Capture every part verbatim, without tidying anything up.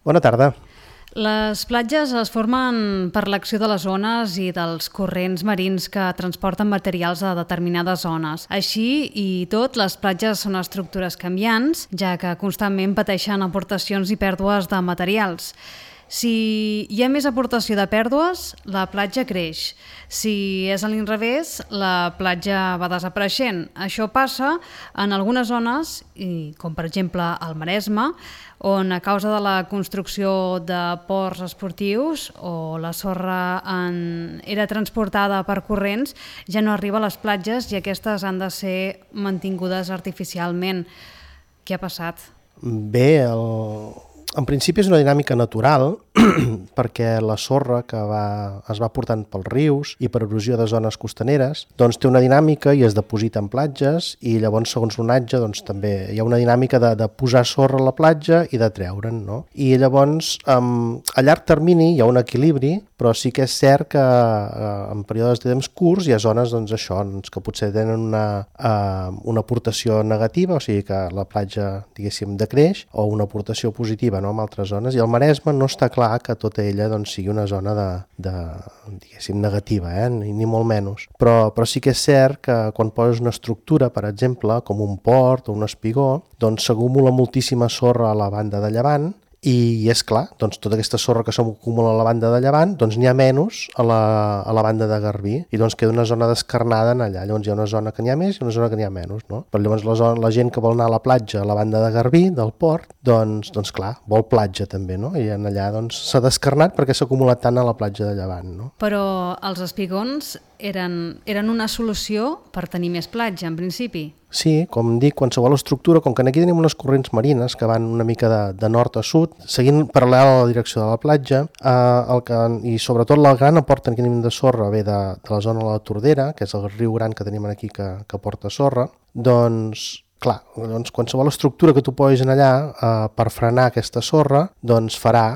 Bona tarda. Les platges es formen per l'acció de les ones i dels corrents marins que transporten materials a determinades zones. Així i tot, les platges són estructures canviants, ja que constantment pateixen aportacions i pèrdues de materials. Si hi ha més aportació de pèrdues, la platja creix. Si és a l'inrevés, la platja va desapareixent. Això passa en algunes zones, i com per exemple al Maresme, on a causa de la construcció de ports esportius o la sorra en... era transportada per corrents, ja no arriba a les platges i aquestes han de ser mantingudes artificialment. Què ha passat? Bé, el... en principi és una dinàmica natural perquè la sorra que va, es va portant pels rius i per erosió de zones costaneres doncs té una dinàmica i es deposita en platges i llavors segons l'onatge doncs, també hi ha una dinàmica de, de posar sorra a la platja i de treure'n, no? I llavors um, a llarg termini hi ha un equilibri, però sí que és cert que uh, en períodes de temps curts hi ha zones doncs, això, doncs, que potser tenen una, uh, una aportació negativa, o sigui que la platja diguéssim decreix, o una aportació positiva, no? En altres zones, i el Maresme no està clar que tota ella doncs, sigui una zona de, de, diguéssim, negativa, eh? ni, ni molt menys. Però, però sí que és cert que quan poses una estructura, per exemple, com un port o un espigó, doncs s'acumula moltíssima sorra a la banda de llevant i és clar, doncs tota aquesta sorra que s'acumula a la banda de llevant, doncs n'hi ha menys a la, a la banda de Garbí i doncs queda una zona descarnada en allà, llavors hi ha una zona que n'hi ha més i una zona que n'hi ha menys, no? Però llavors la, zona, la gent que vol anar a la platja a la banda de Garbí, del port, doncs, doncs clar, vol platja també, no? I en allà doncs s'ha descarnat perquè s'ha acumulat tant a la platja de llevant, no? Però els espigons eren, eren una solució per tenir més platja, en principi? Sí, com dic, qualsevol estructura, com que aquí tenim unes corrents marines que van una mica de, de nord a sud, seguint paral·lel a la direcció de la platja, eh, el que, i sobretot la gran aporta que tenim de sorra ve de, de la zona de la Tordera, que és el riu gran que tenim aquí que, que porta sorra, doncs clar, doncs qualsevol estructura que tu posis en allà eh, per frenar aquesta sorra, doncs farà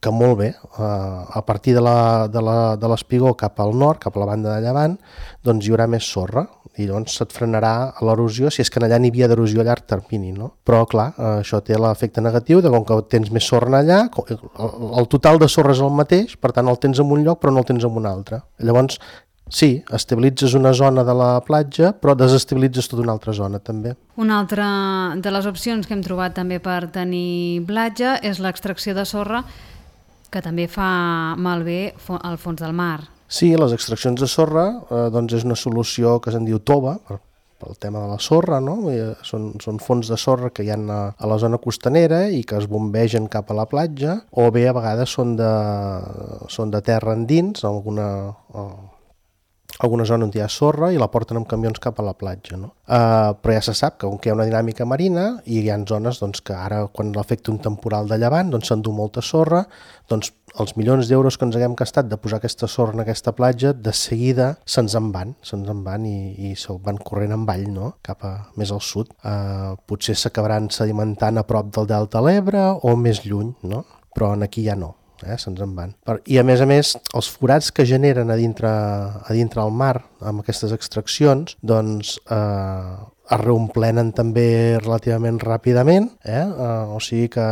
que molt bé, eh, a partir de l'espigó cap al nord, cap a la banda de llevant, doncs hi haurà més sorra i llavors se't frenarà l'erosió si és que allà n'hi havia d'erosió a llarg termini, no? Però clar, eh, això té l'efecte negatiu de com que tens més sorra allà, el, el total de sorra és el mateix, per tant el tens en un lloc però no el tens en un altre. Llavors, sí, estabilitzes una zona de la platja, però desestabilitzes tota una altra zona també. Una altra de les opcions que hem trobat també per tenir platja és l'extracció de sorra, que també fa malbé al fons del mar. Sí, les extraccions de sorra eh, doncs és una solució que se'n diu tova, per, pel tema de la sorra, no? Són, són fons de sorra que hi ha a, a la zona costanera i que es bombegen cap a la platja, o bé a vegades són de, són de terra endins, alguna... Eh, alguna zona on hi ha sorra i la porten amb camions cap a la platja, no? Uh, però ja se sap que on hi ha una dinàmica marina i hi ha zones doncs, que ara quan l'afecta un temporal de llevant doncs s'endú molta sorra, doncs els milions d'euros que ens haguem gastat de posar aquesta sorra en aquesta platja, de seguida se'ns en van, se'ns en van i, i se'n van corrent en vall, no? Cap a més al sud. Uh, potser s'acabaran sedimentant a prop del Delta de l'Ebre o més lluny, no? Però aquí ja no. Eh, se'ns en van. I a més a més, els forats que generen a dintre, a dintre el mar amb aquestes extraccions, doncs eh, es reomplenen també relativament ràpidament, eh? Eh, o sigui que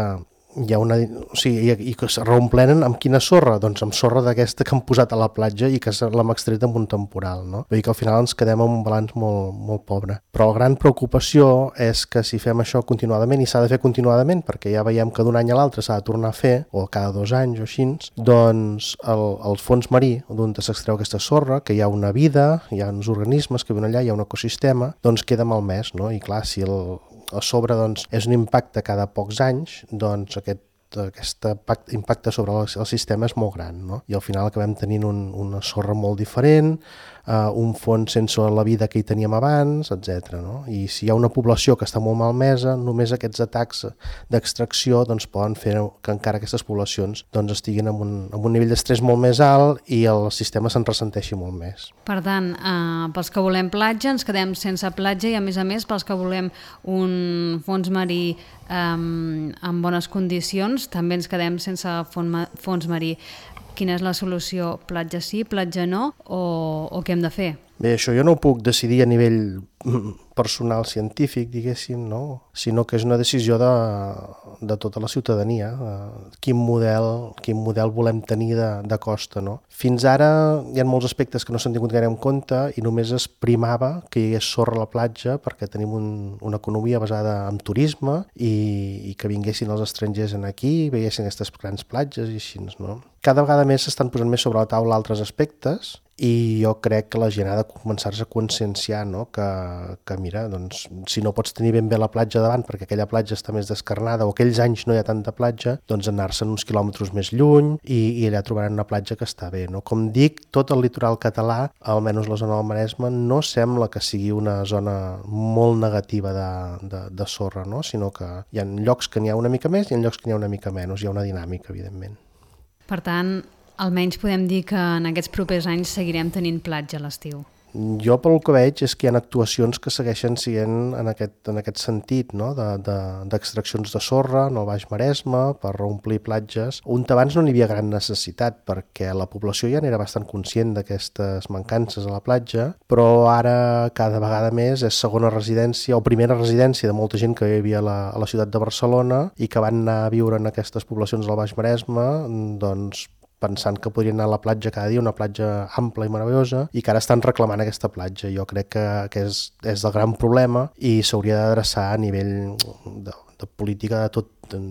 hi ha una, o sigui, i, i que es reomplenen amb quina sorra? Doncs amb sorra d'aquesta que han posat a la platja i que l'hem extret amb un temporal, no? Vull dir que al final ens quedem amb un balanç molt, molt pobre. Però la gran preocupació és que si fem això continuadament, i s'ha de fer continuadament, perquè ja veiem que d'un any a l'altre s'ha de tornar a fer, o cada dos anys o així, doncs el, el fons marí, d'on s'extreu aquesta sorra, que hi ha una vida, hi ha uns organismes que viuen allà, hi ha un ecosistema, doncs queda malmès, no? I clar, si el a sobre doncs, és un impacte cada pocs anys, doncs aquest, aquest impacte sobre el sistema és molt gran, no? I al final acabem tenint un, una sorra molt diferent, uh, un fons sense la vida que hi teníem abans, etcètera, no? I si hi ha una població que està molt malmesa, només aquests atacs d'extracció doncs, poden fer que encara aquestes poblacions doncs, estiguin en un, en un nivell d'estrès molt més alt i el sistema se'n ressenteixi molt més. Per tant, eh, pels que volem platja ens quedem sense platja i a més a més pels que volem un fons marí eh, en bones condicions també ens quedem sense fons marí. Quina és la solució? Platja sí, platja no? O, o què hem de fer? Bé, això jo no ho puc decidir a nivell personal científic, diguéssim, no? Sinó que és una decisió de, de tota la ciutadania, de quin model, quin model volem tenir de, de costa, no? Fins ara hi ha molts aspectes que no s'han tingut gaire en compte i només es primava que hi hagués sorra a la platja perquè tenim un, una economia basada en turisme i, i que vinguessin els estrangers aquí, veiessin aquestes grans platges i així, no? Cada vegada més s'estan posant més sobre la taula altres aspectes i jo crec que la gent ha de començar-se a conscienciar, no? que, que mira, doncs, si no pots tenir ben bé la platja davant perquè aquella platja està més descarnada o aquells anys no hi ha tanta platja, doncs anar-se'n uns quilòmetres més lluny i, i allà trobaran una platja que està bé. No? Com dic, tot el litoral català, almenys la zona del Maresme, no sembla que sigui una zona molt negativa de, de, de sorra, no? Sinó que hi ha llocs que n'hi ha una mica més i hi ha llocs que n'hi ha una mica menys, hi ha una dinàmica, evidentment. Per tant, almenys podem dir que en aquests propers anys seguirem tenint platja a l'estiu. Jo pel que veig és que hi ha actuacions que segueixen sent en aquest, en aquest sentit, no? d'extraccions de, de, de sorra en el Baix Maresme per reomplir platges, on abans no n'hi havia gran necessitat perquè la població ja n'era bastant conscient d'aquestes mancances a la platja, però ara cada vegada més és segona residència o primera residència de molta gent que vivia a la, a la ciutat de Barcelona i que van anar a viure en aquestes poblacions del Baix Maresme, doncs pensant que podrien anar a la platja cada dia, una platja ampla i meravellosa, i que ara estan reclamant aquesta platja. Jo crec que, que és, és el gran problema i s'hauria d'adreçar a nivell de, de política de tot, de,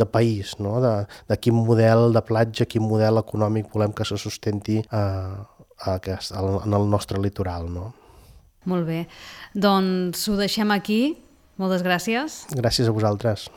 de país, no? de, de quin model de platja, quin model econòmic volem que se sustenti a, a aquest, a, en el nostre litoral. No? Molt bé. Doncs ho deixem aquí. Moltes gràcies. Gràcies a vosaltres.